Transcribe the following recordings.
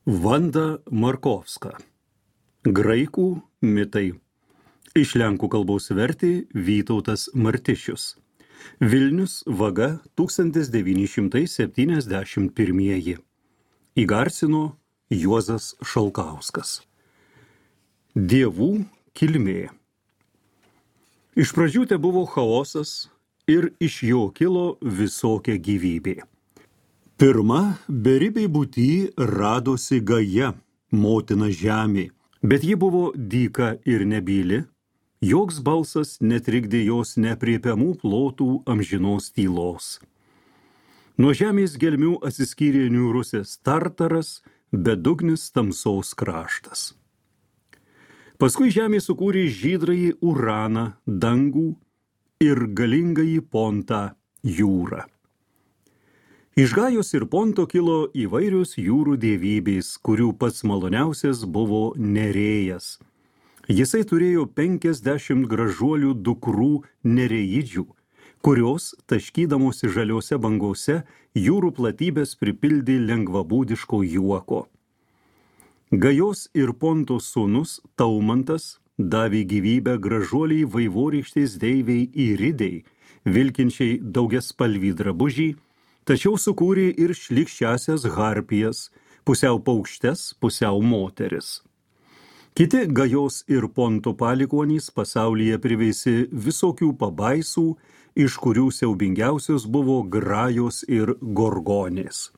Vanda Markovska. Graikų mitai. Iš lenkų kalbos vertė Vytautas Martišius. Vilnius, Vaga, 1971. Įgarsino Juozas Šalkauskas. Dievų kilmė. Iš pradžių te buvo chaosas ir iš jo kilo visokia gyvybė. Pirma, beribiai būty radosi Gaja, motina žemė, bet ji buvo dyka ir nebyli, joks balsas netrikdė jos nepriepiamų plotų amžinos tylos. Nuo žemės gelmių atsiskyrė niūrusis Tartaras, bedugnis tamsos kraštas. Paskui žemė sukūrė žydrąjį Uraną, dangų ir galingąjį Pontą, jūrą. Iš Gajos ir Ponto kilo įvairios jūrų dievybės, kurių pats maloniausias buvo Nerėjas. Jisai turėjo 50 gražuolių dukrų nereidžių, kurios, taškydamosi žaliuose bangose, jūrų platybės pripildė lengvabūdiško juoko. Gajos ir Ponto sūnus Taumantas davė gyvybę gražuoliai vaivorykštės deivei Iridei, vilkinčiai daugiaspalvį drabužį, tačiau sukūrė ir šlykščiasias harpijas, pusiau paukštes, pusiau moteris. Kiti Gajos ir Ponto palikuonys pasaulyje priveisė visokių pabaisų, iš kurių siaubingiausios buvo Grajos ir Gorgonės.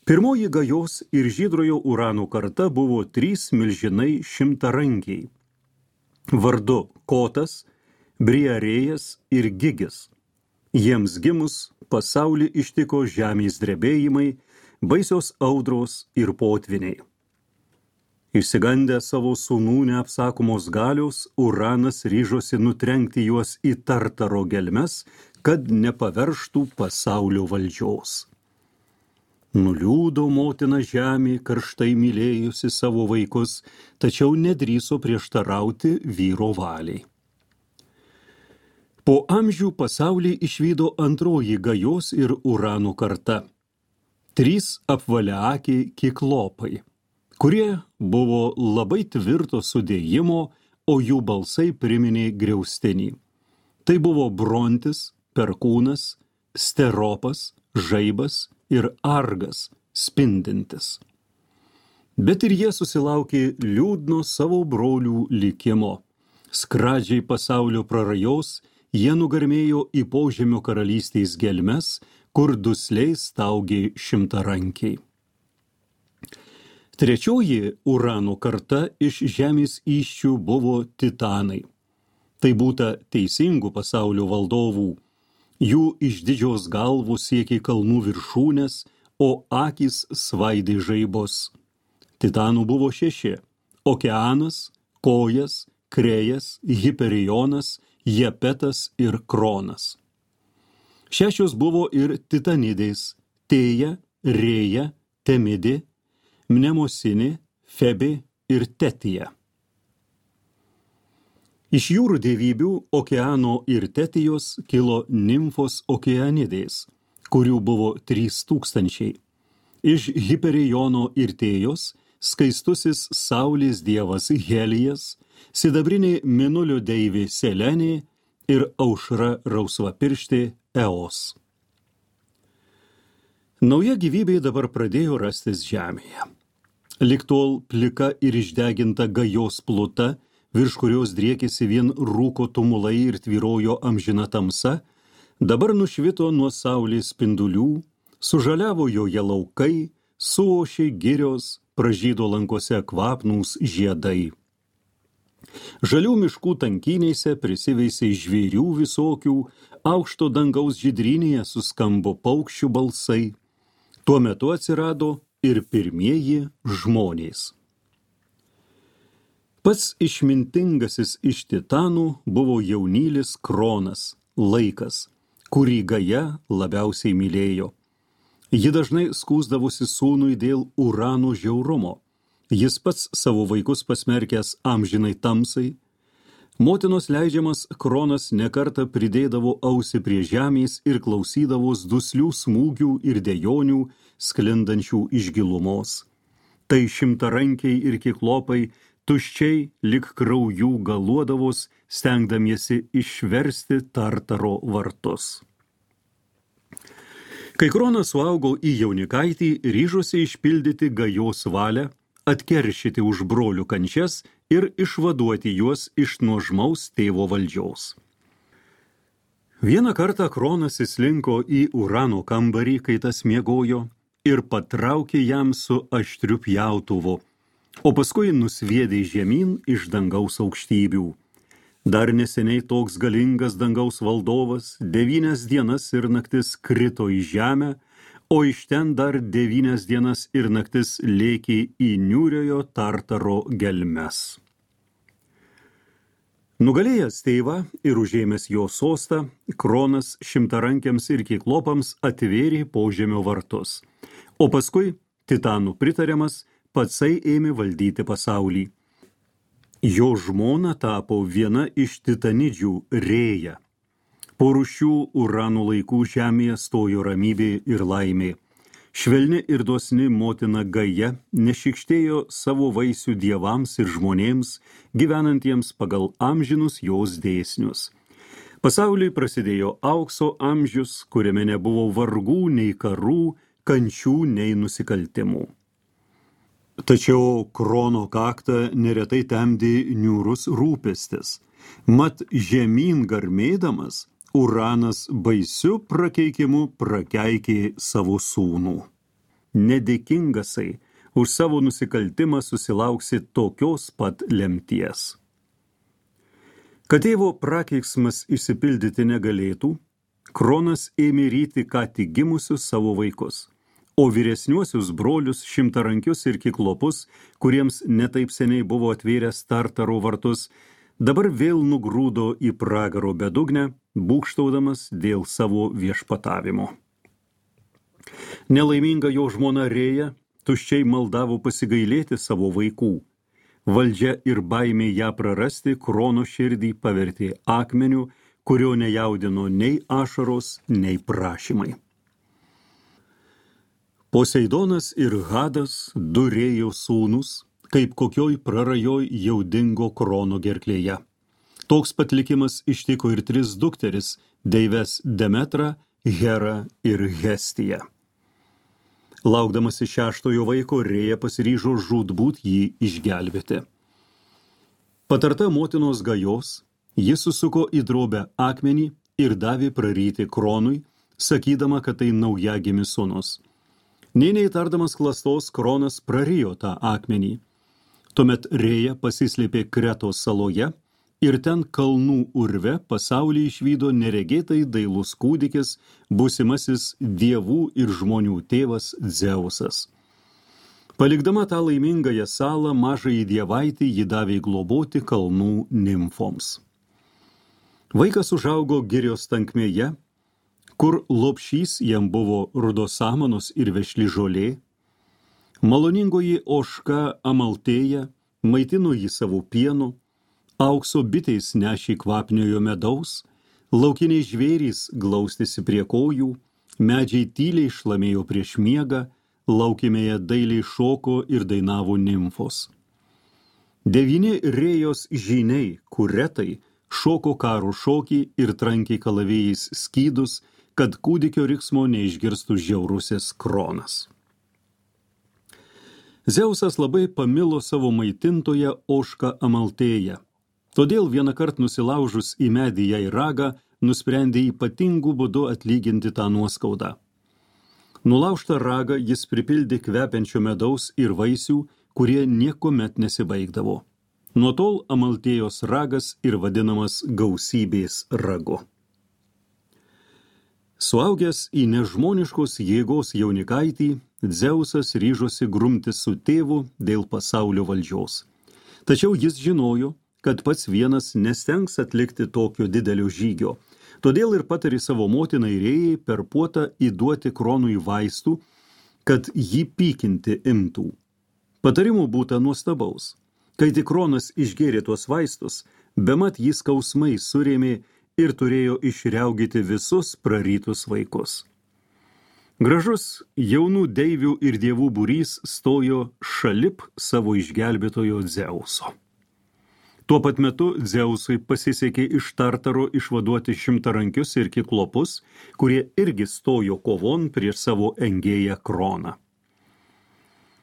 Pirmoji Gajos ir žydrojo Urano karta buvo 3 milžinai šimtarankiai. Vardu Kotas, Briarėjas ir Gigis. Jiems gimus pasaulį ištiko žemės drebėjimai, baisios audros ir potviniai. Išsigandę savo sūnų neapsakomos galios, Uranas ryžosi nutrenkti juos į Tartaro gelmes, kad nepaverštų pasaulio valdžios. Nuliūdo motina žemė, karštai mylėjusi savo vaikus, tačiau nedrįso prieštarauti vyro valiai. Po amžių pasaulį išvydo antroji Gajos ir Urano karta. 3 apvaliaakiai kiklopai, kurie buvo labai tvirto sudėjimo, o jų balsai priminė griaustinį. Tai buvo Brontis, Perkūnas, Steropas, Žaibas ir Argas, spindintis. Bet ir jie susilaukė liūdno savo brolių likimo. Skradžiai pasaulio prarajos, jie nugarmėjo į požemio karalystės gelmes, kur dusliai staugė šimtarankiai. Trečioji Urano karta iš žemės įsčių buvo titanai. Tai būta teisingų pasaulio valdovų. Jų išdidžios galvos siekė kalnų viršūnės, o akys svaidė žaibos. Titanų buvo 6 – Okeanas, Kojas, Krejas, Hiperionas, Jepetas ir Kronas. 6 buvo ir titanidės – Tėja, Rėja, Temidė, Mnemosinė, Febė ir Tetija. Iš jūrų dievybių Okeano ir Tetijos kilo nimfos Okeanidės, kurių buvo 3000. Iš Hiperiono ir Tėjos skaistusis saulės dievas Helijas, sidabrinė Mėnulio deivė Selenė ir aušra rausvapirštė Eos. Nauja gyvybė dabar pradėjo rastis žemėje. Lig tol plika ir išdeginta Gajos pluta, virš kurios driekėsi vien rūko tumulai ir tvyrojo amžina tamsa, dabar nušvito nuo saulės spindulių, sužaliavo joje laukai, suošė girios, pražydo lankose kvapnūs žiedai. Žalių miškų tankynėse prisiveisė žvėrių visokių, aukšto dangaus žydrynėje suskambo paukščių balsai. Tuo metu atsirado ir pirmieji žmonės. Pats išmintingasis iš titanų buvo jaunylis Kronas, laikas, kurį Gaja labiausiai mylėjo. Ji dažnai skųsdavosi sūnui dėl Urano žiaurumo. Jis pats savo vaikus pasmerkęs amžinai tamsai. Motinos leidžiamas Kronas nekartą pridėdavo ausį prie žemės ir klausydavos duslių smūgių ir dejonių, sklindančių iš gilumos. Tai šimtarankiai ir kiklopai tuščiai lik kraujų galuodavos, stengdamiesi išversti Tartaro vartus. Kai Kronas suaugo į jaunikaitį, ryžosi išpildyti Gajos valią, atkeršyti už brolių kančias ir išvaduoti juos iš nuožmaus tėvo valdžiaus. Vieną kartą Kronas įslinko į Urano kambarį, kai tas miegojo, ir patraukė jam su aštriu pjautuvu, o paskui nusviedė žemyn iš dangaus aukštybių. Dar neseniai toks galingas dangaus valdovas 9 dienas ir naktis krito į žemę, o iš ten dar 9 dienas ir naktis lėkė į niūriojo Tartaro gelmes. Nugalėjęs tėvą ir užėmęs jo sostą, Kronas šimtarankiams ir kiklopams atvėrė požemio vartus, o paskui, titanų pritariamas, patsai ėmė valdyti pasaulį. Jo žmona tapo viena iš titanidžių Rėja. Po rūšių Urano laikų žemėje stojo ramybė ir laimė. Švelni ir dosni motina Gaja nešikštėjo savo vaisių dievams ir žmonėms, gyvenantiems pagal amžinus jos dėsnius. Pasauliui prasidėjo aukso amžius, kuriame nebuvo vargų nei karų, kančių nei nusikaltimų. Tačiau Krono kaktą neretai temdė niūrus rūpestis. Mat žemyn garmėdamas, Uranas baisiu prakeikimu prakeikė savo sūnų. Nedėkingasai, už savo nusikaltimą susilauksi tokios pat lemties. Kad tėvo prakeiksmas išsipildyti negalėtų, Kronas ėmė ryti ką tik gimusius savo vaikus, o vyresniuosius brolius šimtarankius ir kiklopus, kuriems netaip seniai buvo atvėręs Tartaro vartus, dabar vėl nugrūdo į pragaro bedugnę, būgštaudamas dėl savo viešpatavimo. Nelaiminga jo žmona Rėja tuščiai maldavo pasigailėti savo vaikų. Valdžia ir baimė ją prarasti Krono širdį pavertė akmeniu, kurio nejaudino nei ašaros, nei prašymai. Poseidonas ir Hadas, du Rėjos sūnus, kaip kokioj prarajoj jau dingo Krono gerklėje. Toks pat likimas ištiko ir 3 dukteris, deives Demetrą, Herą ir Hestiją. Laukdamasi 6 vaiko, Rėja pasiryžo žūtbūt jį išgelbėti. Patarta motinos Gajos, jis susuko į drobę akmenį ir davė praryti Kronui, sakydama, kad tai naujagimis sūnus. Nė neįtardamas klastos, Kronas prarijo tą akmenį. Tuomet Rėja pasislėpė Kretos saloje ir ten kalnų urve pasaulį išvydo neregėtai dailus kūdikis, būsimasis dievų ir žmonių tėvas Dzeusas. Palikdama tą laimingąją salą, mažąjį dievaitį ji davė globoti kalnų nimfoms. Vaikas užaugo girios tankmėje, kur lopšys jam buvo rudos samanos ir vešli žolė. Maloningoji ožka Amaltėja maitino jį savo pienu, aukso bitės nešė kvapniojo medaus, laukiniai žvėrys glaustėsi prie kojų, medžiai tyliai šlamėjo prieš miegą, laukimėje dailiai šoko ir dainavo nimfos. 9 Rėjos žyniai, kuretai, šoko karo šokį ir trankė kalavėjais skydus, kad kūdikio riksmo neišgirstų žiaurusis Kronas. Zeusas labai pamilo savo maitintoją ožką Amaltėją. Todėl vienąkart nusilaužus į medį jai ragą, nusprendė ypatingų būdu atlyginti tą nuoskaudą. Nulaužtą ragą jis pripildė kvepiančio medaus ir vaisių, kurie niekuomet nesibaigdavo. Nuo tol Amaltėjos ragas ir vadinamas gausybės ragu. Suaugęs į nežmoniškos jėgos jaunikaitį, Dzeusas ryžosi grumtis su tėvu dėl pasaulio valdžios. Tačiau jis žinojo, kad pats vienas nestengs atlikti tokio didelio žygio. Todėl ir patarė savo motinai Rėjai per puotą įduoti Kronui vaistų, kad jį pykinti imtų. Patarimų būta nuostabaus. Kai tik Kronas išgėrė tuos vaistus, bemat jį skausmai surėmė ir turėjo išriaugyti visus prarytus vaikus. Gražus jaunų deivių ir dievų būrys stojo šalip savo išgelbėtojo Dzeuso. Tuo pat metu Dzeusui pasisekė iš Tartaro išvaduoti šimtarankius ir kiklopus, kurie irgi stojo kovon prieš savo engėją Kroną.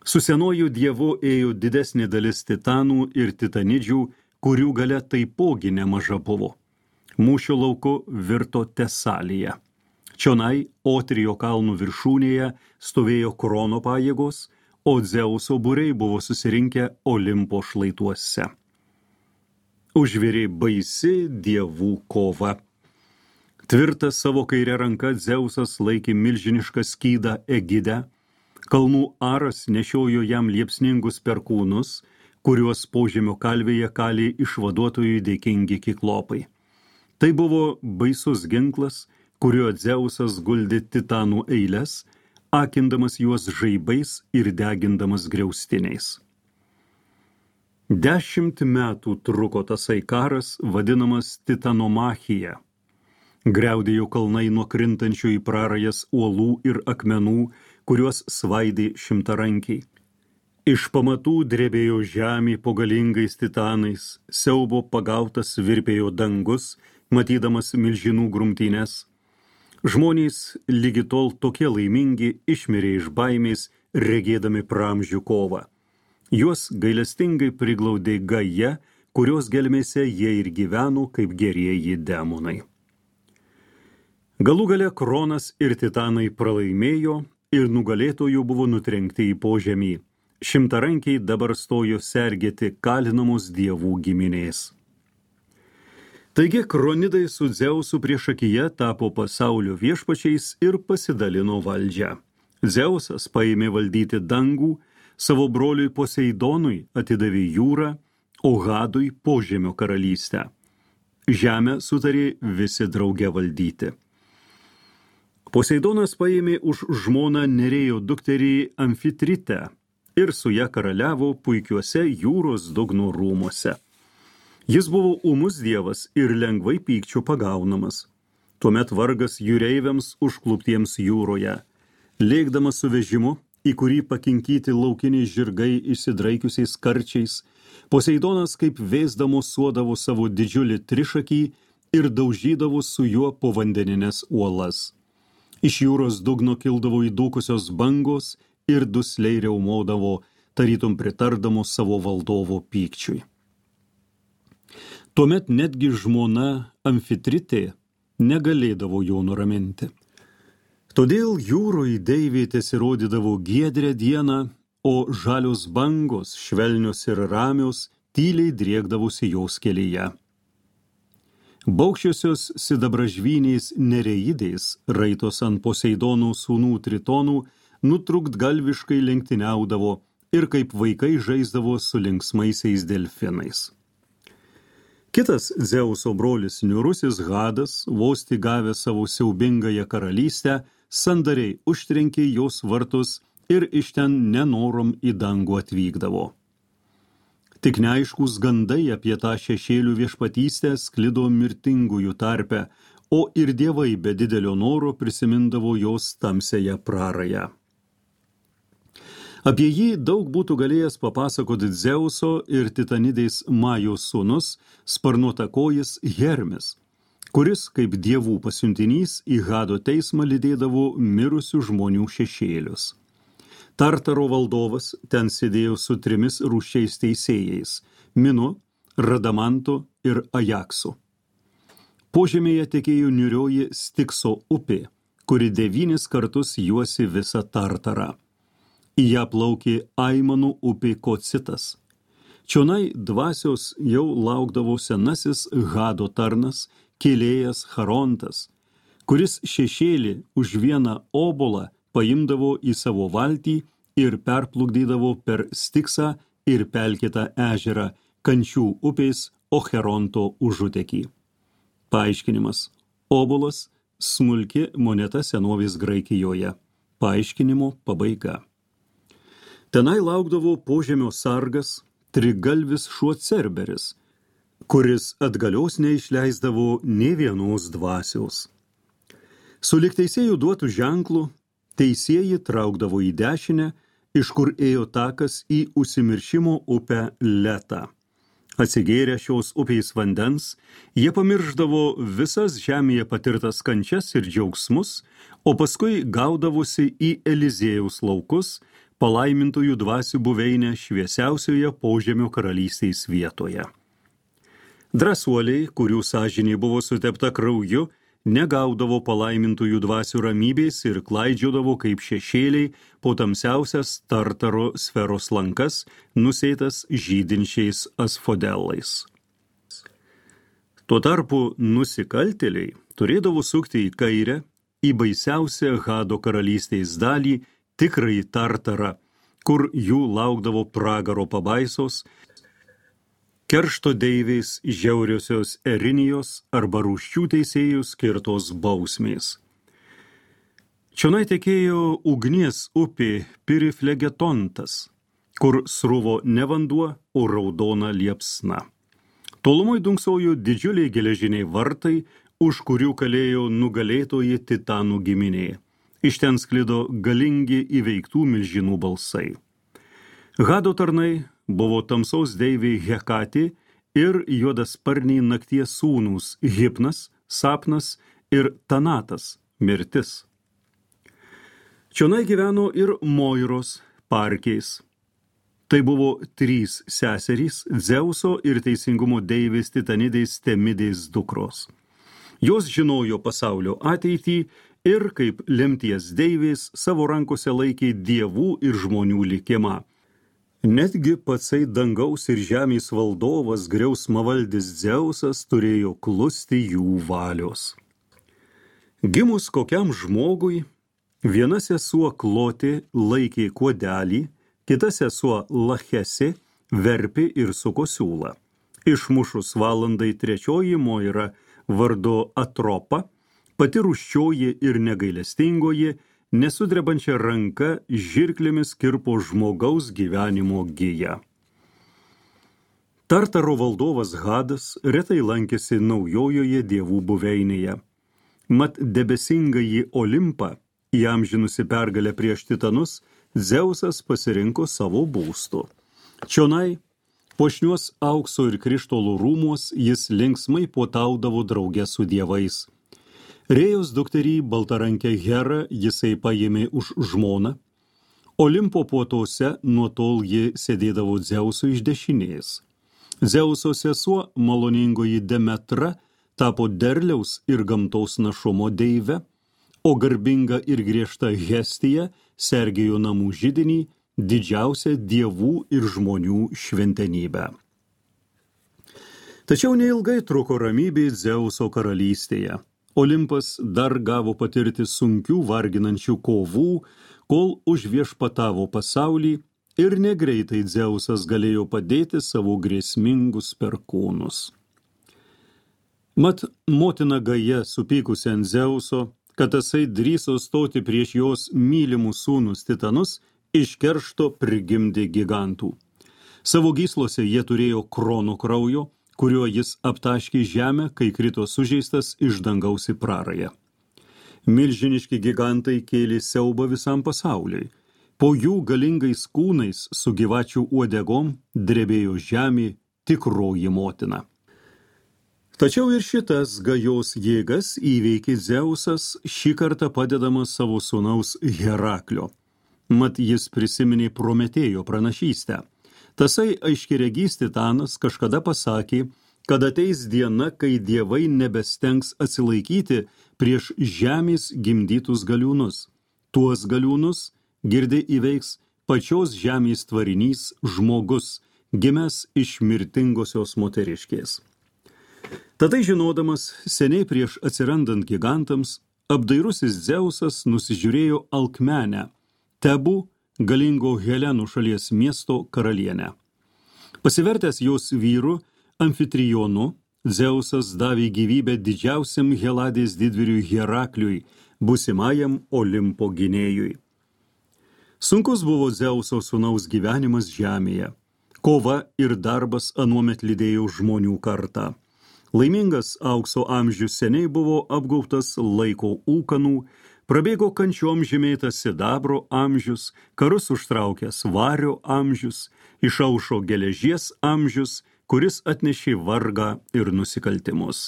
Su senuoju dievu ėjo didesnė dalis titanų ir titanidžių, kurių galia taipogi nemaža buvo. Mūšio lauku virto Tesalija. Čionai Otrijo kalnų viršūnėje stovėjo Krono pajėgos, o Dzeuso būriai buvo susirinkę Olimpo šlaituose. Užvirė baisi dievų kova. Tvirtas savo kairę ranką Dzeusas laikė milžinišką skydą Egidę, kalnų Aras nešiojo jam liepsningus perkūnus, kuriuos požemio kalvėje kalė išvaduotojui dėkingi kiklopai. Tai buvo baisus ginklas, kuriuo Dzeusas guldė titanų eiles, akindamas juos žaibais ir degindamas griaustiniais. 10 metų truko tasai karas, vadinamas Titanomachija. Griaudėjo kalnai nuo krintančių į prarajas uolų ir akmenų, kuriuos svaidė šimtarankiai. Iš pamatų drebėjo žemė po galingais titanais, siaubo pagautas virpėjo dangus, matydamas milžinų grumtynes. Žmonės lygi tol tokie laimingi išmirė iš baimės, regėdami pramžių kovą. Juos gailestingai priglaudė Gaja, kurios gelmėse jie ir gyveno kaip gerieji demonai. Galų gale Kronas ir titanai pralaimėjo ir nugalėtojų buvo nutrenkti į požemį. Šimtarankiai dabar stojo sergėti kalinamos dievų giminės. Taigi Kronidai su Dzeusu priešakyje tapo pasaulio viešpačiais ir pasidalino valdžią. Dzeusas paėmė valdyti dangų, savo broliui Poseidonui atidavė jūrą, o Hadui požemio karalystę. Žemę sutarė visi drauge valdyti. Poseidonas paėmė už žmoną Nerėjo dukterį Amfitritę ir su ja karaliavo puikiuose jūros dugno rūmuose. Jis buvo ūmus dievas ir lengvai pykčių pagaunamas. Tuomet vargas jūreiviams užkluptiems jūroje. Lėkdamas su vežimu, į kurį pakinkyti laukiniai žirgai išsidraikiusiais karčiais, Poseidonas kaip vėsdamo suodavo savo didžiulį trišakį ir daužydavo su juo povandeninės uolas. Iš jūros dugno kildavo įdūkusios bangos ir dusliai riaumodavo, tarytum pritardamos savo valdovo pykčiui. Tuomet netgi žmona Amfitritė negalėdavo jo nuraminti. Todėl jūroje deivė tesirodydavo giedrę dieną, o žalios bangos, švelnios ir ramios, tyliai driekdavosi jos kelyje. Baukščiosios sidabražvynės Nereidės, raitos ant Poseidono sūnų Tritonų, nutrūktgalviškai lenktyniaudavo ir kaip vaikai žaisdavo su linksmaisiais delfinais. Kitas Dzeuso brolis niūrusis Hadas, vos tik gavęs savo siaubingąją karalystę, sandariai užtrenkė jos vartus ir iš ten nenorom į dangų atvykdavo. Tik neaiškus gandai apie tą šešėlių viešpatystę sklido mirtingųjų tarpe, o ir dievai be didelio noro prisimindavo jos tamsiąją prarają. Apie jį daug būtų galėjęs papasakoti Dzeuso ir Titanidės Majos sūnus, sparnuotakojis Hermis, kuris kaip dievų pasiuntinys į Hado teismą lydėdavo mirusių žmonių šešėlius. Tartaro valdovas ten sėdėjo su 3 rūsčiais teisėjais – Minu, Radamantu ir Ajaksu. Požemėje tekėjo niūrioji Stikso upė, kuri 9 kartus juosi visą Tartarą. Į ją plaukė Aimanų upė Kocitas. Čionai dvasios jau laukdavo senasis Hado tarnas, kėlėjas Charontas, kuris šešėlį už vieną obolą paimdavo į savo valtį ir perplukdydavo per Stiksą ir pelkėtą ežerą Kančių upės Ocheronto užutekį. Paaiškinimas. Obolas – smulki moneta senovės Graikijoje. Paaiškinimo pabaiga. Tenai laukdavo požemio sargas, trigalvis šuo Cerberis, kuris atgalios neišleisdavo nė vienos dvasios. Sulig teisėjų duotų ženklų, teisieji traukdavo į dešinę, iš kur ėjo takas į užsimiršimo upę Letą. Atsigėrę šios upės vandens, jie pamirždavo visas žemėje patirtas kančias ir džiaugsmus, o paskui gaudavosi į Eliziejaus laukus, palaimintųjų dvasių buveinę šviesiausioje požemio karalystės vietoje. Drąsuoliai, kurių sąžinė buvo sutepta krauju, negaudavo palaimintųjų dvasių ramybės ir klaidžiodavo kaip šešėliai po tamsiausias Tartaro sferos lankas, nusėtas žydinčiais asfodelais. Tuo tarpu nusikaltėliai turėdavo sukti į kairę, į baisiausią Hado karalystės dalį, tikrąjį Tartarą, kur jų laukdavo pragaro pabaisos, keršto deivės žiauriosios Erinijos arba rūsčių teisėjų skirtos bausmės. Čionai tekėjo ugnies upė Piriflegetontas, kur sruvo ne vanduo, o raudona liepsna. Tolumoj dunksojo didžiuliai geležiniai vartai, už kurių kalėjo nugalėtoji titanų giminė. Iš ten sklido galingi įveiktų milžinų balsai. Hado tarnai buvo tamsos deivė Hekatė ir juodasparniai nakties sūnūs Hipnas, Sapnas ir Tanatas, mirtis. Čionai gyveno ir Moiros, Parkės. Tai buvo 3 seserys Dzeuso ir teisingumo deivės Titanidės Temidės dukros. Jos žinojo pasaulio ateitį ir kaip lemties deivės savo rankose laikė dievų ir žmonių likimą. Netgi patsai dangaus ir žemės valdovas griausmavaldis Dzeusas turėjo klusti jų valios. Gimus kokiam žmogui, viena sesuo Klotė laikė kuodelį, kita sesuo Lachesė verpė ir suko siūlą. Išmušus valandai trečioji Moira vardu Atropa, pati rūsčioji ir negailestingoji, nesudrebančia ranka žirklėmis kirpo žmogaus gyvenimo giją. Tartaro valdovas Hadas retai lankėsi naujojoje dievų buveinėje. Mat debesingąjį Olimpą, įamžinusi pergalę prieš titanus, Dzeusas pasirinko savo būstu. Čionai, puošniuos aukso ir krištolų rūmuos, jis linksmai puotaudavo drauge su dievais. Rėjos dukterį baltarankę Herą jisai paėmė už žmoną. Olimpo puotose nuo tol ji sėdėdavo Dzeuso iš dešinės. Dzeuso sesuo, maloningoji Demetra, tapo derliaus ir gamtos našumo deive, o garbinga ir griežta Hestija sergėjo namų židinį, didžiausią dievų ir žmonių šventenybę. Tačiau neilgai truko ramybė Dzeuso karalystėje. Olimpas dar gavo patirti sunkių varginančių kovų, kol užviešpatavo pasaulį ir negreitai Dzeusas galėjo padėti savo grėsmingus perkūnus. Mat motina Gaja supykusi ant Dzeuso, kad tasai drįso stoti prieš jos mylimus sūnus titanus, iš keršto prigimdė gigantų. Savo gyslose jie turėjo Krono kraujo, kuriuo jis aptaškė žemę, kai krito sužeistas iš dangaus į prarają. Milžiniški gigantai kėlė siaubą visam pasauliui. Po jų galingais kūnais su gyvačių uodegom drebėjo žemė tikroji motina. Tačiau ir šitas Gajos jėgas įveikė Dzeusas, šį kartą padedamas savo sūnaus Heraklio. Mat jis prisiminė Prometėjo pranašystę. Tasai aiškiregys Titanas kažkada pasakė, kad ateis diena, kai dievai nebestengs atsilaikyti prieš žemės gimdytus galiūnus. Tuos galiūnus girdi įveiks pačios žemės tvarinys žmogus, gimęs iš mirtingosios moteriškės. Tadai žinodamas, seniai prieš atsirandant gigantams, apdairusis Dzeusas nusižiūrėjo Alkmenę, Tebų, galingo Helenų šalies miesto karalienę. Pasivertęs jos vyru Amfitrijonu, Dzeusas davė gyvybę didžiausiam Heladės didvyriui Herakliui, būsimajam Olimpo gynėjui. Sunkus buvo Dzeuso sūnaus gyvenimas žemėje. Kova ir darbas anuomet lydėjo žmonių kartą. Laimingas aukso amžius seniai buvo apgaubtas laiko ūkanų, Prabėgo kančiom žymėtas sidabro amžius, karus užtraukęs vario amžius, išaušo geležies amžius, kuris atnešė vargą ir nusikaltimus.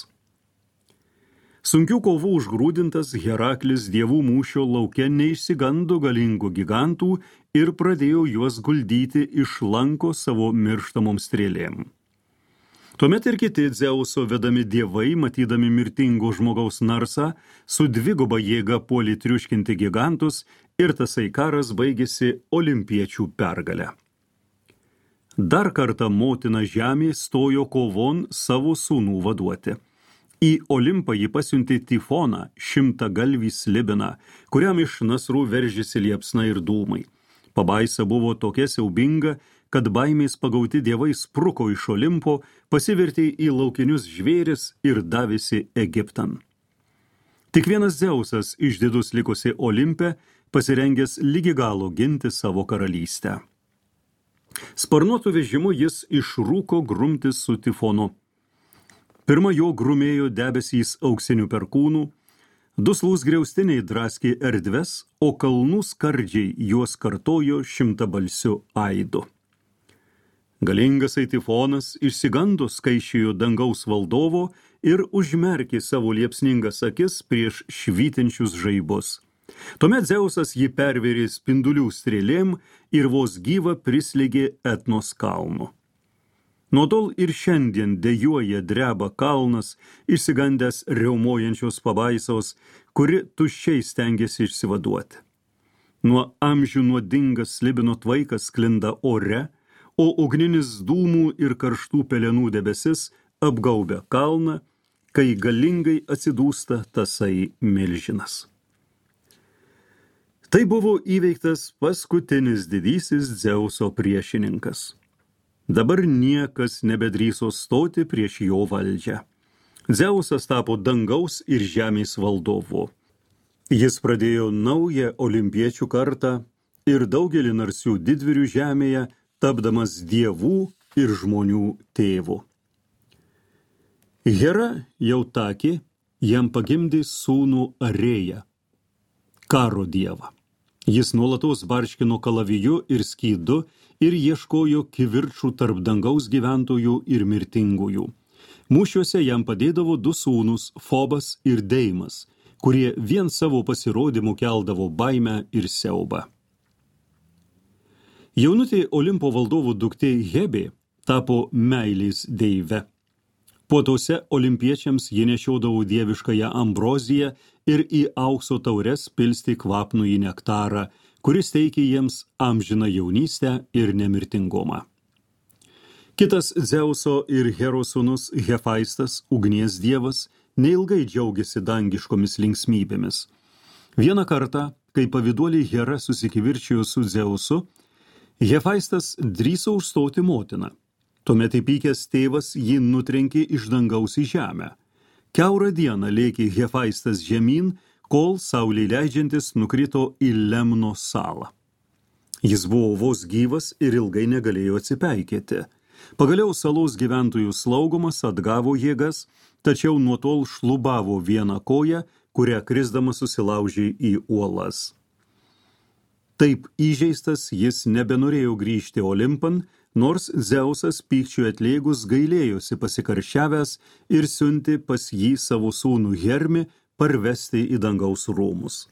Sunkių kovų užgrūdintas Heraklis dievų mūšio lauke neišsigando galingų gigantų ir pradėjo juos guldyti iš lanko savo mirštamom strėlėm. Tuomet ir kiti Dzeuso vedami dievai, matydami mirtingo žmogaus narsą, su dviguba jėga puolė triuškinti gigantus ir tasai karas baigėsi olimpiečių pergale. Dar kartą motina žemė stojo kovon savo sūnų vaduoti. Į Olimpą ji pasiuntė Tifoną, 100-galvį slibiną, kuriam iš nasrų veržėsi liepsna ir dūmai. Pabaisa buvo tokia siaubinga, kad baimės pagauti dievai spruko iš Olimpo, pasivertė į laukinius žvėris ir davėsi Egiptan. Tik vienas Dzeusas išdidus likusi Olimpe, pasirengęs lygi galo ginti savo karalystę. Sparnuotų vežimu jis išrūko grumtis su Tifonu. Pirma jo grumėjo debesys auksinių perkūnų, duslūs griaustiniai draskė erdves, o kalnų skardžiai juos kartojo 100-balsiu aidu. Galingasai Tifonas išsigando skaičijo dangaus valdovo ir užmerkė savo liepsningas akis prieš švytinčius žaibus. Tuomet Dzeusas jį pervėrė spindulių strėlėm ir vos gyva prislėgė Etnos kalnu. Nuo tol ir šiandien dejuoja dreba kalnas, išsigandęs riaumojančios pabaisos, kuri tuščiai stengiasi išsivaduoti. Nuo amžių nuodingas slibino tvaikas sklinda ore, o ugninis dūmų ir karštų pelenų debesis apgaubia kalną, kai galingai atsidūsta tasai milžinas. Tai buvo įveiktas paskutinis didysis Dzeuso priešininkas. Dabar niekas nebedrįso stoti prieš jo valdžią. Dzeusas tapo dangaus ir žemės valdovu. Jis pradėjo naują olimpiečių kartą ir daugelį narsių didvyrių žemėje, tapdamas dievų ir žmonių tėvu. Hera Jautakė jam pagimdė sūnų Arėją, karo dievą. Jis nuolatos barškino kalaviju ir skydu ir ieškojo kivirčų tarp dangaus gyventojų ir mirtingųjų. Mūšiuose jam padėdavo du sūnus, Fobas ir Deimas, kurie vien savo pasirodymu keldavo baimę ir siaubą. Jaunutė Olimpo valdovų duktė Hebė tapo meilės deive. Puotuose olimpiečiams ji nešiodavo dieviškąją ambroziją ir į aukso taures pilstė kvapnųjį nektarą, kuris teikė jiems amžiną jaunystę ir nemirtingumą. Kitas Dzeuso ir Heros sūnus Hefaistas, ugnies dievas, neilgai džiaugiasi dangiškomis linksmybėmis. Vieną kartą, kai pavyduolė Hera susikivirčijo su Dzeusu, Hefaistas drįso užstoti motiną. Tuomet įpykęs tėvas jį nutrenkė iš dangaus į žemę. Kiaurą dieną lėkė Hefaistas žemyn, kol saulei leidžiantis nukrito į Lemno salą. Jis buvo vos gyvas ir ilgai negalėjo atsipeikėti. Pagaliau salos gyventojų slaugomas atgavo jėgas, tačiau nuo tol šlubavo vieną koją, kurią krisdamas susilaužė į uolas. Taip įžeistas jis nebenorėjo grįžti Olimpan, nors Dzeusas pykčiui atlėgus gailėjosi pasikarščiavęs ir siuntė pas jį savo sūnų Hermį parvesti į dangaus rūmus.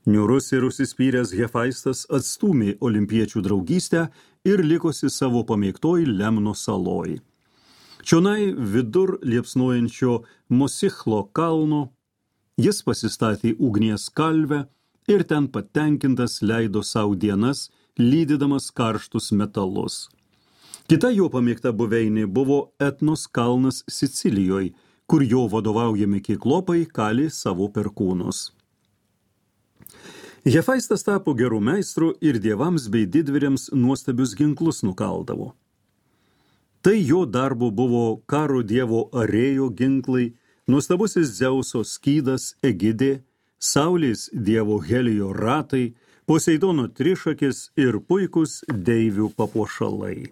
Niūrus ir užsispyręs Hefaistas atstūmė olimpiečių draugystę ir likosi savo pamėgtoj Lemno saloj. Čionai vidur liepsnojančio Mosichlo kalno jis pasistatė ugnies kalvę ir ten patenkintas leido savo dienas, lydydamas karštus metalus. Kita jo pamėgta buveinė buvo Etnos kalnas Sicilijoje, kur jo vadovaujami kiklopai kalė savo perkūnus. Hefaistas tapo gerų meistrų ir dievams bei didvyriams nuostabius ginklus nukaldavo. Tai jo darbo buvo karo dievo Arėjo ginklai, nuostabusis Dzeuso skydas Egidė, saulės dievo Helijo ratai, Poseidono trišakis ir puikus deivių papuošalai.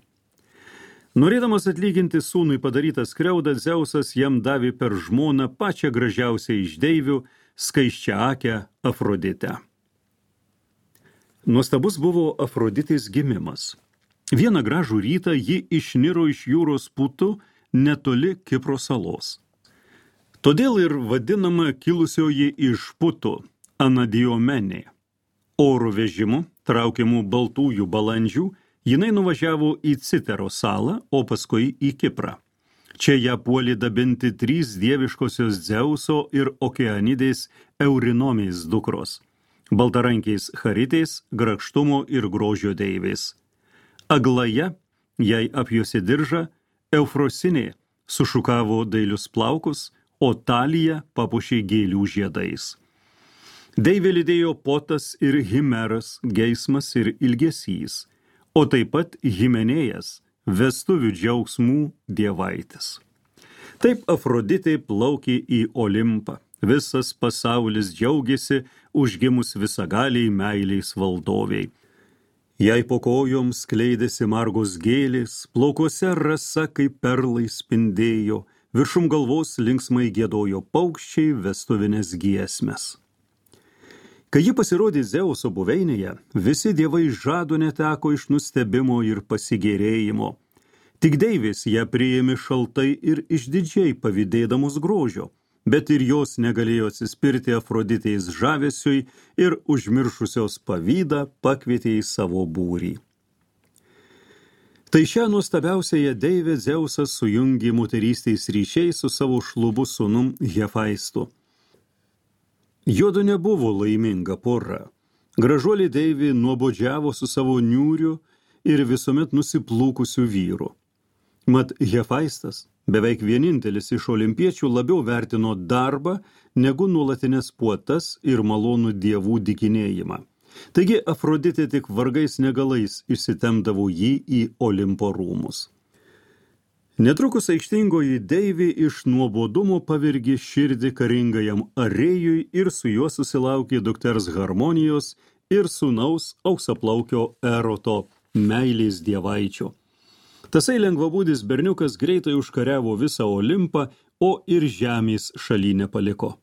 Norėdamas atlyginti sūnui padarytą skriaudą, Dzeusas jam davė per žmoną pačią gražiausią iš deivių, skaisčiaakę Afroditę. Nuostabus buvo Afroditės gimimas. Vieną gražų rytą ji išniro iš jūros putų netoli Kipro salos. Todėl ir vadinama kilusioji iš putų Anadiomenė. Oro vežimu, traukiamų baltųjų balandžių, jinai nuvažiavo į Citero salą, o paskui į Kiprą. Čia ją puolė dabinti 3 dieviškosios Dzeuso ir Okeanidės Eurinomės dukros. Baltarankiais Charitės, grakštumo ir grožio deivės. Aglaja, jai apjuosė diržą, Eufrosinė sušukavo dailius plaukus, o Talija papuošė gėlių žiedais. Deivė lydėjo Potas ir Himeras, geismas ir ilgesys, o taip pat Himenėjas, vestuvių džiaugsmų dievaitis. Taip Afroditė plaukė į Olimpą. Visas pasaulis džiaugiasi užgimus visagaliai meiliais valdoviai. Jai po kojom skleidėsi margos gėlės, plaukuose rasa kaip perlai spindėjo, viršum galvos linksmai giedojo paukščiai vestuvinės giesmes. Kai ji pasirodė Dzeuso buveinėje, visi dievai žado neteko iš nustebimo ir pasigėrėjimo. Tik deivės ją priėmė šaltai ir išdidžiai pavydėdamos grožio, bet ir jos negalėjo atsispirti Afroditės žavesiui ir užmiršusios pavydą pakvietė į savo būrį. Tai šią nuostabiausiąją deivę Dzeusas sujungė moterystės ryšiais su savo šlubu sūnum Hefaistu. Jodu nebuvo laiminga pora. Gražuolė deivė nuobodžiavo su savo niūriu ir visuomet nusiplūkusiu vyru. Mat Hefaistas, beveik vienintelis iš olimpiečių, labiau vertino darbą negu nuolatinės puotas ir malonų dievų dykinėjimą. Taigi Afroditė tik vargais negalais išsitemdavo jį į Olimpo rūmus. Netrukus aikštingoji deivė iš nuobodumo pavirgė širdį karingajam Arėjui ir su juo susilaukė dukters Harmonijos ir sūnaus auksaplaukio Eroto, meilės dievaičio. Tasai lengvabūdis berniukas greitai užkariavo visą Olimpą, o ir žemės šaly nepaliko.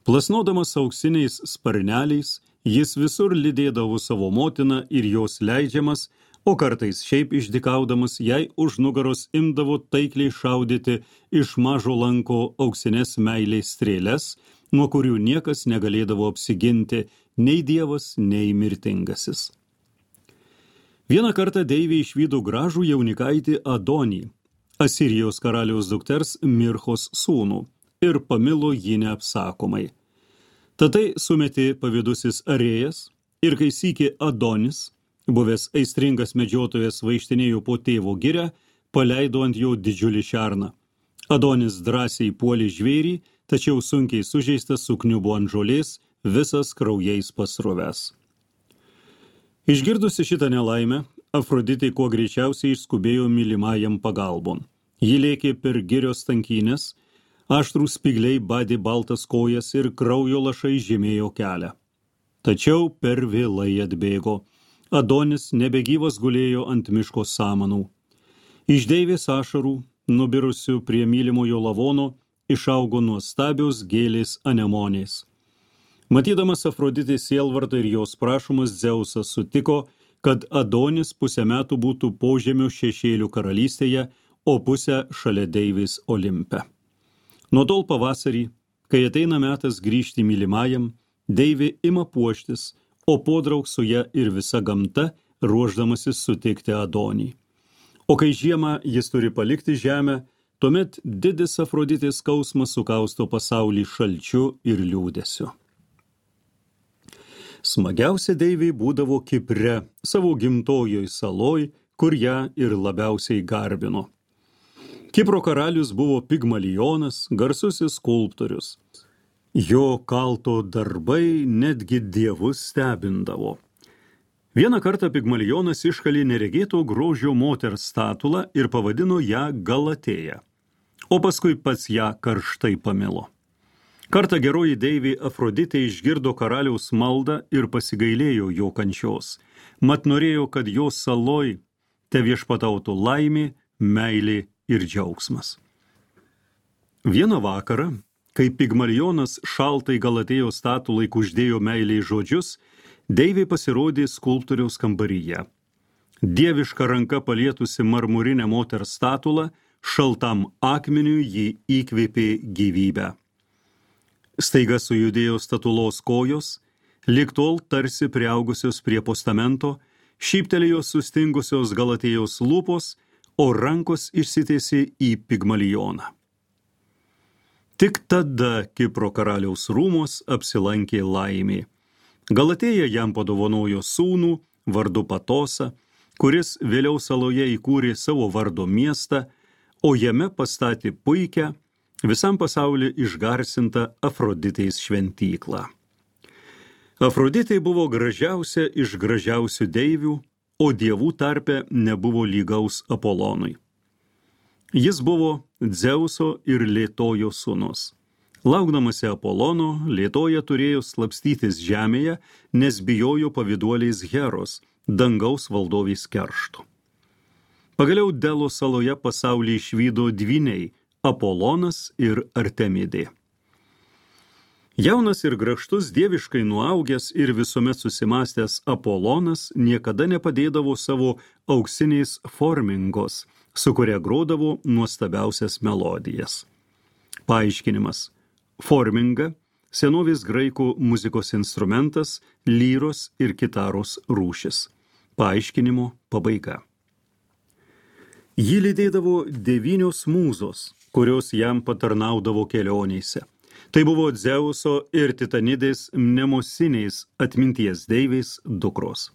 Plasnodamas auksiniais sparneliais, jis visur lydėdavo savo motiną ir jos leidžiamas, o kartais šiaip išdykaudamas jai už nugaros imdavo taikliai šaudyti iš mažo lanko auksinės meilės strėles, nuo kurių niekas negalėdavo apsiginti, nei dievas, nei mirtingasis. Vieną kartą deivė išvydo gražų jaunikaitį Adonį, Asirijos karaliaus dukters Mirchos sūnų, ir pamilo jį neapsakomai. Tatai sumetė pavydusis Arėjas, ir kai sykį Adonis, buvęs aistringas medžiotojas, vaikštinėjo po tėvo girią, paleido ant jo didžiulį šerną. Adonis drąsiai puolė žvėrį, tačiau sunkiai sužeistas sukniubo ant žolės, visas kraujais pasrovęs. Išgirdusi šitą nelaimę, Afroditė kuo greičiausiai išskubėjo mylimajam pagalbon. Ji lėkė per girios tankynės, aštrūs spygliai badė baltas kojas ir kraujo lašai žymėjo kelią. Tačiau per vėlai atbėgo. Adonis nebegyvas gulėjo ant miško samanų. Iš deivės ašarų, nubirusių prie mylimojo lavono, išaugo nuostabios gėlės anemonės. Matydamas Afroditės sielvartą ir jos prašomas, Dzeusas sutiko, kad Adonis pusę metų būtų požemio šešėlių karalystėje, o pusę šalia deivės Olimpe. Nuo tol pavasarį, kai ateina metas grįžti mylimajam, deivė ima puoštis, o podraug su ja ir visa gamta, ruošdamasis sutikti Adonį. O kai žiemą jis turi palikti žemę, tuomet didis Afroditės skausmas sukausto pasaulį šalčiu ir liūdesiu. Smagiausia deivė būdavo Kipre, savo gimtojoj saloj, kur ją ir labiausiai garbino. Kipro karalius buvo Pigmalionas, garsusis skulptorius. Jo kalto darbai netgi dievus stebindavo. Vieną kartą Pigmalionas iškalė neregėto grožio moters statulą ir pavadino ją Galatėja, o paskui pats ją karštai pamilo. Kartą geroji deivė Afroditė išgirdo karaliaus maldą ir pasigailėjo jo kančios, mat norėjo, kad jo saloj te viešpatautų laimė, meilė ir džiaugsmas. Vieną vakarą, Kai Pigmalionas šaltai Galatėjos statulai kuždėjo meiliai žodžius, deivė pasirodė skulptoriaus kambaryje. Dieviška ranka palietusi marmurinę moters statulą, šaltam akmeniui ji įkvėpė gyvybę. Staiga sujudėjo statulos kojos, lyg tol tarsi priaugusios prie postamento, šyptelėjo sustingusios Galatėjos lūpos, o rankos išsitiesė į Pigmalioną. Tik tada Kipro karaliaus rūmos apsilankė laimė. Galatėja jam padovanojo sūnų vardu Patosą, kuris vėliau saloje įkūrė savo vardo miestą, o jame pastatė puikią, visam pasauliu išgarsintą Afroditės šventyklą. Afroditė buvo gražiausia iš gražiausių deivių, o dievų tarpe nebuvo lygaus Apolonui. Jis buvo Dzeuso ir Lėtojo sūnus. Laukdamasi Apolono, Lėtoja turėjo slapstytis žemėje, nes bijojo pavyduoliais Heros, dangaus valdovės keršto. Pagaliau Delo saloje pasaulį išvydo dvyniai Apolonas ir Artemidė. Jaunas ir grakštus dieviškai nuaugęs ir visuomet susimastęs Apolonas niekada nepadėdavo savo auksiniais formingos, su kuria grodavo nuostabiausias melodijas. Paaiškinimas. Forminga – senovės graikų muzikos instrumentas, lyros ir kitaros rūšis. Paaiškinimo pabaiga. Jį lydėdavo 9 mūzos, kurios jam patarnaudavo kelionėse. Tai buvo Dzeuso ir Titanidės mnemosiniais atminties deivės dukros.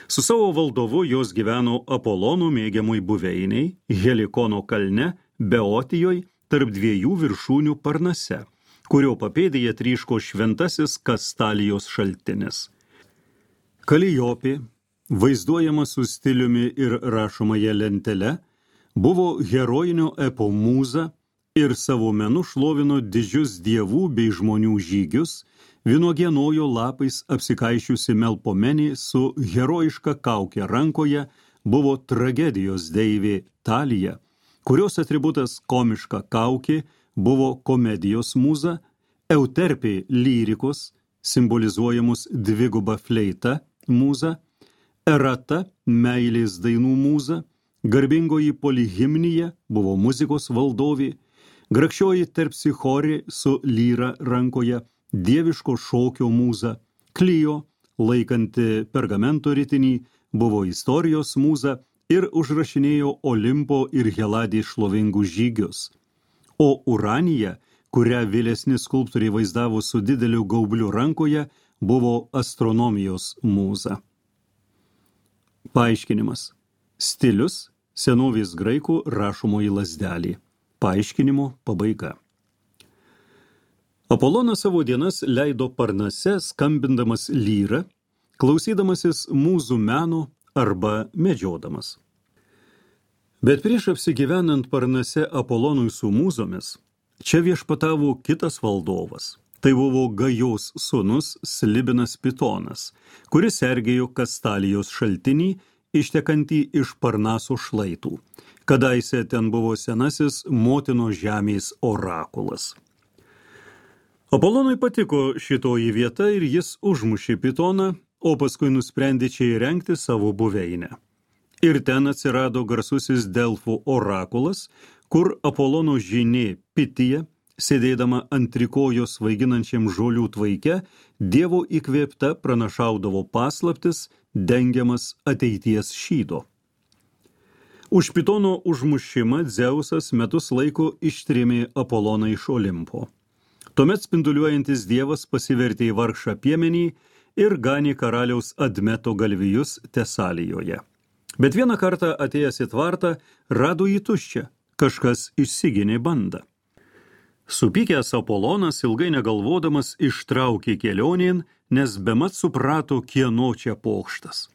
Su savo valdovu jos gyveno Apolono mėgiamoj buveiniai, Helikono kalne, Beotijoj, tarp 2 viršūnių Parnase, kurio papėdėje tryško šventasis Kastalijos šaltinis. Kaliopė, vaizduojama su stiliumi ir rašomąja lentele, buvo herojinio epo mūza ir savo menu šlovino didžius dievų bei žmonių žygius, vynuogienojo lapais apsikaišiusi Melpomenė su herojiška kaukė rankoje buvo tragedijos deivė Talija, kurios atributas komiška kaukė buvo komedijos mūza, Euterpė lyrikos, simbolizuojamus dviguba fleita mūza, Erata meilės dainų mūza, garbingoji Polihimnija buvo muzikos valdovė, grakščioji Terpsichorė su lyra rankoje, dieviško šokio mūza, Klijo, laikanti pergamento ritinį, buvo istorijos mūza ir užrašinėjo Olimpo ir Heladės šlovingus žygius. O Uranija, kurią vėlesni skulptoriai vaizdavo su dideliu gaubliu rankoje, buvo astronomijos mūza. Paaiškinimas. Stilius – senovės graikų rašomoji lazdelė. Paaiškinimo pabaiga. Apolonas savo dienas leido Parnase, skambindamas lyrą, klausydamasis mūzų meno arba medžiodamas. Bet prieš apsigyvenant Parnase Apolonui su mūzomis, čia viešpatavo kitas valdovas. Tai buvo Gajos sūnus Slibinas Pitonas, kuris sergėjo Kastalijos šaltinį, ištekantį iš Parnaso šlaitų. Kadaise ten buvo senasis motino žemės orakulas. Apolonui patiko šitoji vieta ir jis užmušė Pitoną, o paskui nusprendė čia įrengti savo buveinę. Ir ten atsirado garsusis Delfų orakulas, kur Apolono žynė Pitija, sėdėdama ant trikojos svaiginančiam žolių tvaike, Dievo įkvėpta pranašaudavo paslaptis, dengiamas ateities šydo. Už Pitono užmušimą Dzeusas metus laiko ištrėmė Apoloną iš Olimpo. Tuomet spinduliuojantis dievas pasivertė į vargšą piemenį ir ganė karaliaus Admeto galvijus Tesalijoje. Bet vieną kartą atėjęs į tvartą, rado jį tuščią, kažkas išsiginė bandą. Supykęs Apolonas ilgai negalvodamas ištraukė kelionėn, nes bemat suprato, kieno čia pokštas.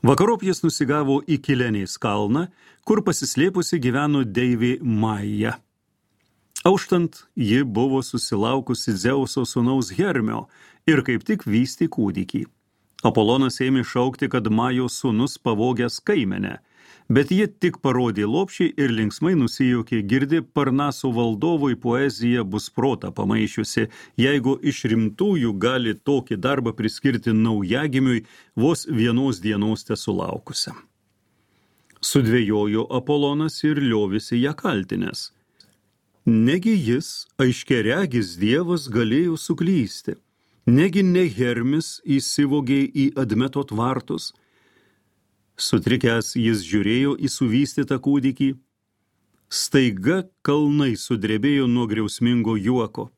Vakarop jis nusigavo į Kilenės kalną, kur pasislėpusi gyveno deivė Maja. Auštant, ji buvo susilaukusi Dzeuso sūnaus Hermio ir kaip tik vystė kūdikį. Apolonas ėmė šaukti, kad Majos sūnus pavogęs kaimenę, Bet ji tik parodė lopšį ir linksmai nusijaukė, girdi Parnaso valdovui poezija bus protą pamaišiusi, jeigu iš rimtųjų gali tokį darbą priskirti naujagimiui vos vienos dienos tesulaukusiam. Sudvejojo Apolonas ir liovėsi ją kaltinęs. Negi jis, aiškiaregis dievas, galėjo suklysti, negi ne Hermis įsivogė į Admeto tvartus. Sutrikęs jis žiūrėjo į suvystytą kūdikį. Staiga kalnai sudrebėjo nuo griausmingo juoko.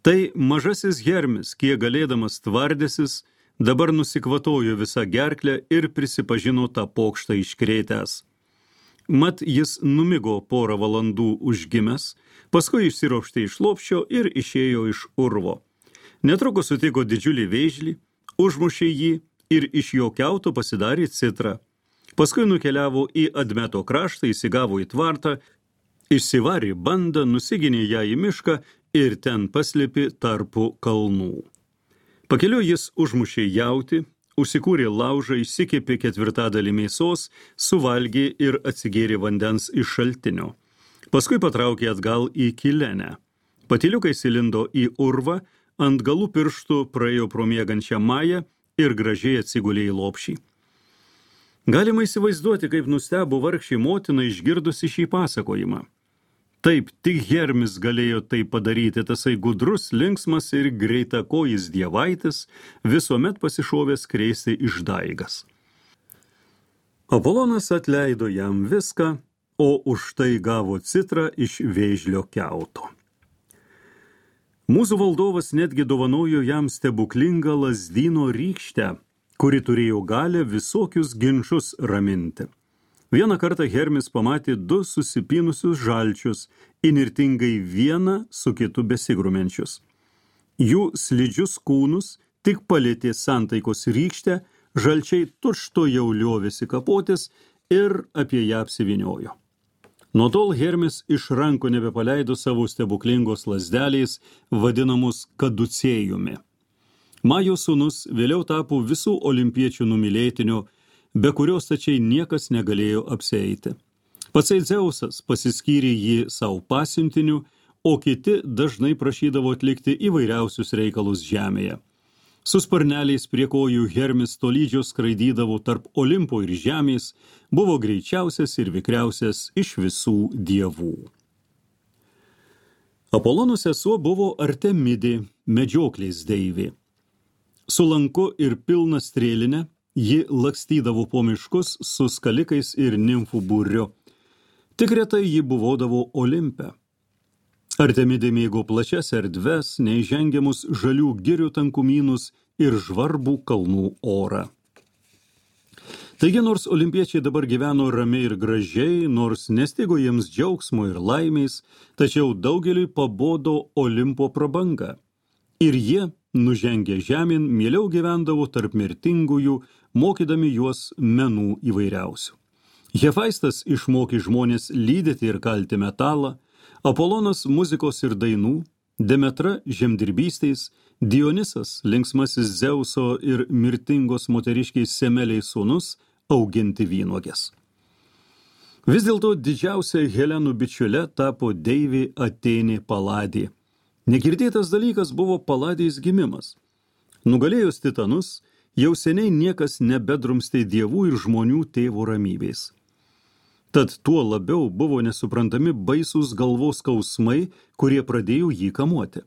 Tai mažasis Hermis, kiek galėdamas tvardėsis, dabar nusikvatojo visą gerklę ir prisipažino tą pokštą iškrėtęs. Mat jis numigo porą valandų užgimęs, paskui išsiropštė iš lopščio ir išėjo iš urvo. Netrukus sutiko didžiulį vėžlį, užmušė jį ir iš jo kiauto pasidarė citrą. Paskui nukeliavo į Admeto kraštą, įsigavo į tvartą, išsivarė bandą, nusiginė ją į mišką ir ten paslėpė tarpu kalnų. Pakeliu jis užmušė jautį, užsikūrė laužą, išsikepė 4/4 mėsos, suvalgė ir atsigėrė vandens iš šaltinio. Paskui patraukė atgal į Kilenę. Patyliukais įlindo į urvą, ant galų pirštų praėjo pro miegančią Mają ir gražiai atsigulė į lopšį. Galima įsivaizduoti, kaip nustebo vargšė motina išgirdusi šį pasakojimą. Taip, tik Hermis galėjo tai padaryti, tasai gudrus, linksmas ir greitakojis dievaitis, visuomet pasišovęs krėsti išdaigas. Apolonas atleido jam viską, o už tai gavo citrą iš vėžlio kiauto. Mūsų valdovas netgi dovanojo jam stebuklingą lazdyno rykštę, kuri turėjo galę visokius ginčus raminti. Vieną kartą Hermis pamatė 2 susipinusius žalčius, įnirtingai vieną su kitu besigrumenčius. Jų slidžius kūnus tik palėtė santaikos rykštę, žalčiai tučto jau liovėsi kapotis ir apie ją apsivyniojo. Nuo tol Hermis iš rankų nebepaleido savo stebuklingos lazdelės, vadinamus kaducėjumi. Majos sūnus vėliau tapo visų olimpiečių numylėtiniu, be kurios tačiai niekas negalėjo apsieiti. Patsai Dzeusas pasiskyrė jį savo pasiuntiniu, o kiti dažnai prašydavo atlikti įvairiausius reikalus žemėje. Su sparneliais prie kojų Hermis tolydžio skraidydavo tarp Olimpo ir žemės, buvo greičiausias ir vikriausias iš visų dievų. Apolono sesuo buvo Artemidė, medžioklės deivė. Su lanku ir pilna strėline ji lakstydavo po miškus su skalikais ir nimfų būriu. Tik retai ji buvodavo Olimpe. Artemidė mėgo plačias erdves, neįžengiamus žalių girių tankumynus ir žvarbų kalnų orą. Taigi, nors olimpiečiai dabar gyveno ramiai ir gražiai, nors nestigo jiems džiaugsmo ir laimės, tačiau daugeliui pabodo Olimpo prabanga. Ir jie, nužengę žemyn, mieliau gyvendavo tarp mirtingųjų, mokydami juos menų įvairiausių. Hefaistas išmokė žmonės lydyti ir kalti metalą, Apolonas muzikos ir dainų, Demetra žemdirbystės, Dionisas linksmasis Dzeuso ir mirtingos moteriškiais Semeliais sūnus auginti vynuogės. Vis dėlto didžiausia Helenų bičiule tapo deivė Atėnė Paladė. Negirdėtas dalykas buvo Paladės gimimas. Nugalėjus titanus, jau seniai niekas nebedrumstė dievų ir žmonių tėvo ramybės. Tad tuo labiau buvo nesuprantami baisūs galvos skausmai, kurie pradėjo jį kamuoti.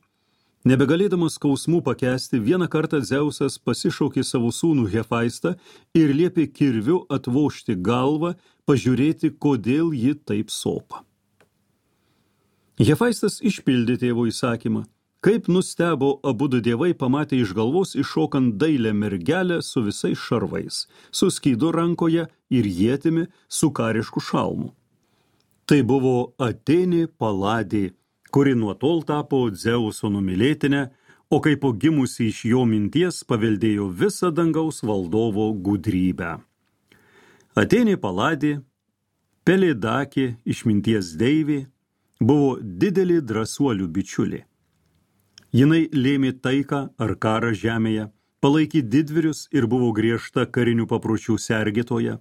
Nebegalėdamas skausmų pakęsti, vieną kartą Dzeusas pasišaukė savo sūnų Hefaistą ir liepė kirviu atvožti galvą, pažiūrėti, kodėl ji taip sopa. Hefaistas išpildė tėvo įsakymą. Kaip nustebo abudu dievai pamatė iš galvos iššokant dailę mergelę su visais šarvais, su skydu rankoje ir ietimi su karišku šalmu. Tai buvo Atėnė Paladė, kuri nuo tol tapo Dzeuso numylėtinė, o kaip po gimusi iš jo minties paveldėjo visą dangaus valdovo gudrybę. Atėnė Paladė, Pelėdakė, išminties deivė, buvo didelė drąsuolių bičiulė. Jinai lėmė taiką ar karą žemėje, palaikė didvyrius ir buvo griežta karinių papročių sergėtoja.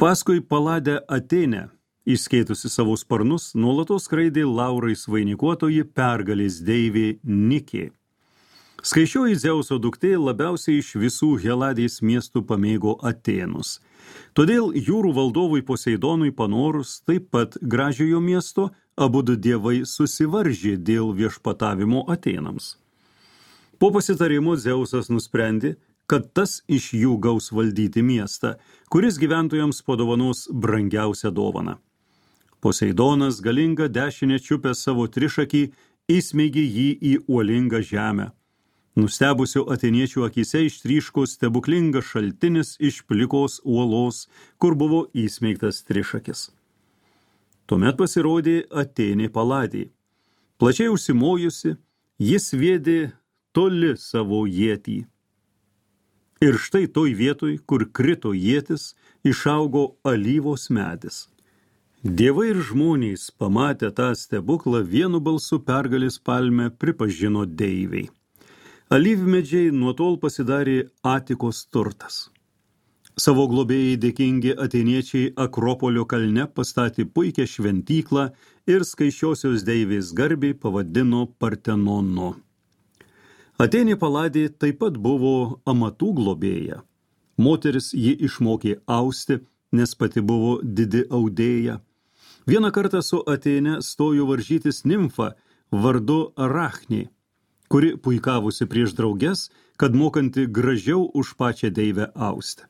Paskui Paladę Atėnę, išskėtusi savo sparnus, nuolatos skraidė laurais vainikuotoji pergalės deivė Nikė. Skaičioji Dzeuso duktė labiausiai iš visų Heladės miestų pamėgo Atėnus. Todėl jūrų valdovui Poseidonui panorus, taip pat gražiojo miesto, abudu dievai susivaržė dėl viešpatavimo Atėnams. Po pasitarimo Dzeusas nusprendė, kad tas iš jų gaus valdyti miestą, kuris gyventojams padovanos brangiausią dovaną. Poseidonas galingą dešinę čiupęs savo trišakį įsmeigė jį į uolingą žemę. Nustebusio atėniečių akise ištryško stebuklingas šaltinis iš plikos uolos, kur buvo įsmeigtas trišakis. Tuomet pasirodė Atėnė Paladė. Plačiai užsimojusi, jis sviedė toli savo ietį. Ir štai toj vietoj, kur krito ietis, išaugo alyvos medis. Dievai ir žmonės, pamatę tą stebuklą, vienu balsu pergalės palmę pripažino deiviai. Alyvmedžiai nuo tol pasidarė Atikos turtas. Savo globėjai dėkingi atėniečiai Akropolio kalne pastatė puikią šventyklą ir skaičiosios deivės garbei pavadino Partenonu. Atėnė Paladė taip pat buvo amatų globėja. Moteris ji išmokė austi, nes pati buvo didi audėja. Vieną kartą su Atėne stojo varžytis nimfa vardu Arachnė, kuri puikavusi prieš drauges, kad mokanti gražiau už pačią deivę austi.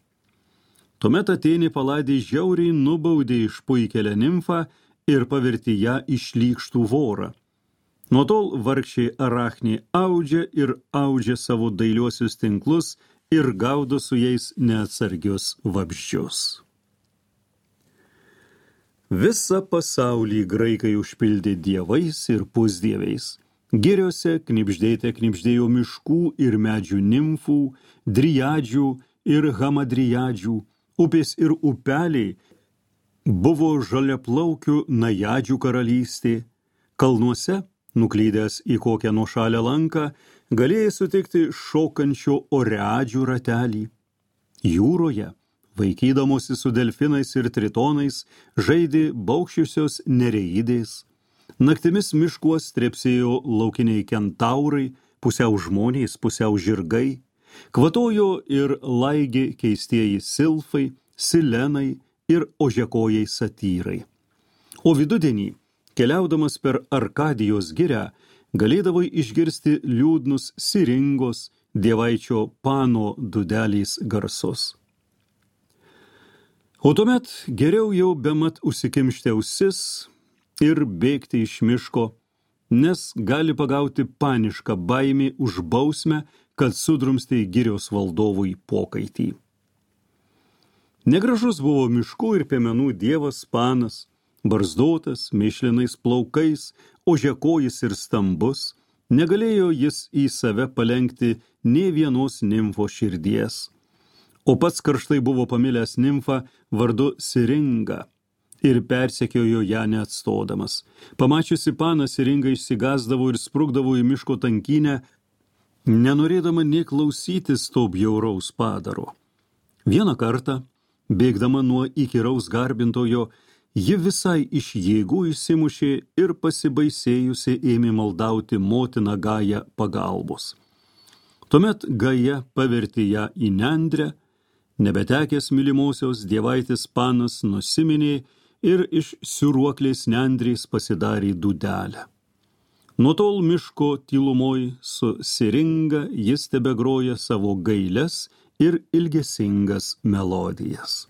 Tuomet Atėnė Paladė žiauriai nubaudė išpuikelę nimfą ir pavertė ją į šlykštų vorą. Nuo tol vargšė Arachnė audžia savo dailiuosius tinklus ir gaudo su jais neatsargius vabzdžius. Visą pasaulį graikai užpildė dievais ir pusdieviais. Giriose knibždėjo miškų ir medžių nimfų, drijadžių ir hamadrijadžių, upės ir upeliai buvo žaliaplaukių najadžių karalystė. Kalnuose, nuklydęs į kokią nuošalę lanką, galėjai sutikti šokančio oreadžių ratelį. Jūroje, vaikydamosi su delfinais ir tritonais, žaidė baukščiusios nereidės. Naktimis miškuos trepsėjo laukiniai kentaurai, pusiau žmonės, pusiau žirgai. Kvatojo ir laigė keistieji silfai, silenai ir ožiakojai satyrai. O vidudienį, keliaudamas per Arkadijos girią, galėdavai išgirsti liūdnus Siringos, dievaičio Pano dūdelės garsus. O tuomet geriau jau bemat užsikimšti ausis ir bėgti iš miško, nes gali pagauti panišką baimį už bausmę, kad sudrumstė girios valdovui pokaitį. Negražus buvo miškų ir piemenų dievas Panas, barzdotas, mėšlinais plaukais, ožiakojis ir stambus, negalėjo jis į save palenkti nė vienos nimfo širdies. O pats karštai buvo pamilęs nimfą vardu Siringa ir persekiojo ją neatstodamas. Pamačiusi Paną, Siringa išsigąsdavo ir sprukdavo į miško tankynę, nenorėdama nė klausytis to bjauraus padaro. Vieną kartą, bėgdama nuo įkyraus garbintojo, ji visai iš jėgų įsimušė ir pasibaisėjusi ėmė maldauti motiną Gają pagalbos. Tuomet Gaja pavertė ją į nendrę, nebetekęs mylimosios dievaitės Panas nusiminė ir iš siūruoklės nendrės pasidarė dūdelę. Nuo tol miško tylumoj su Siringa jis tebegroja savo gailias ir ilgesingas melodijas.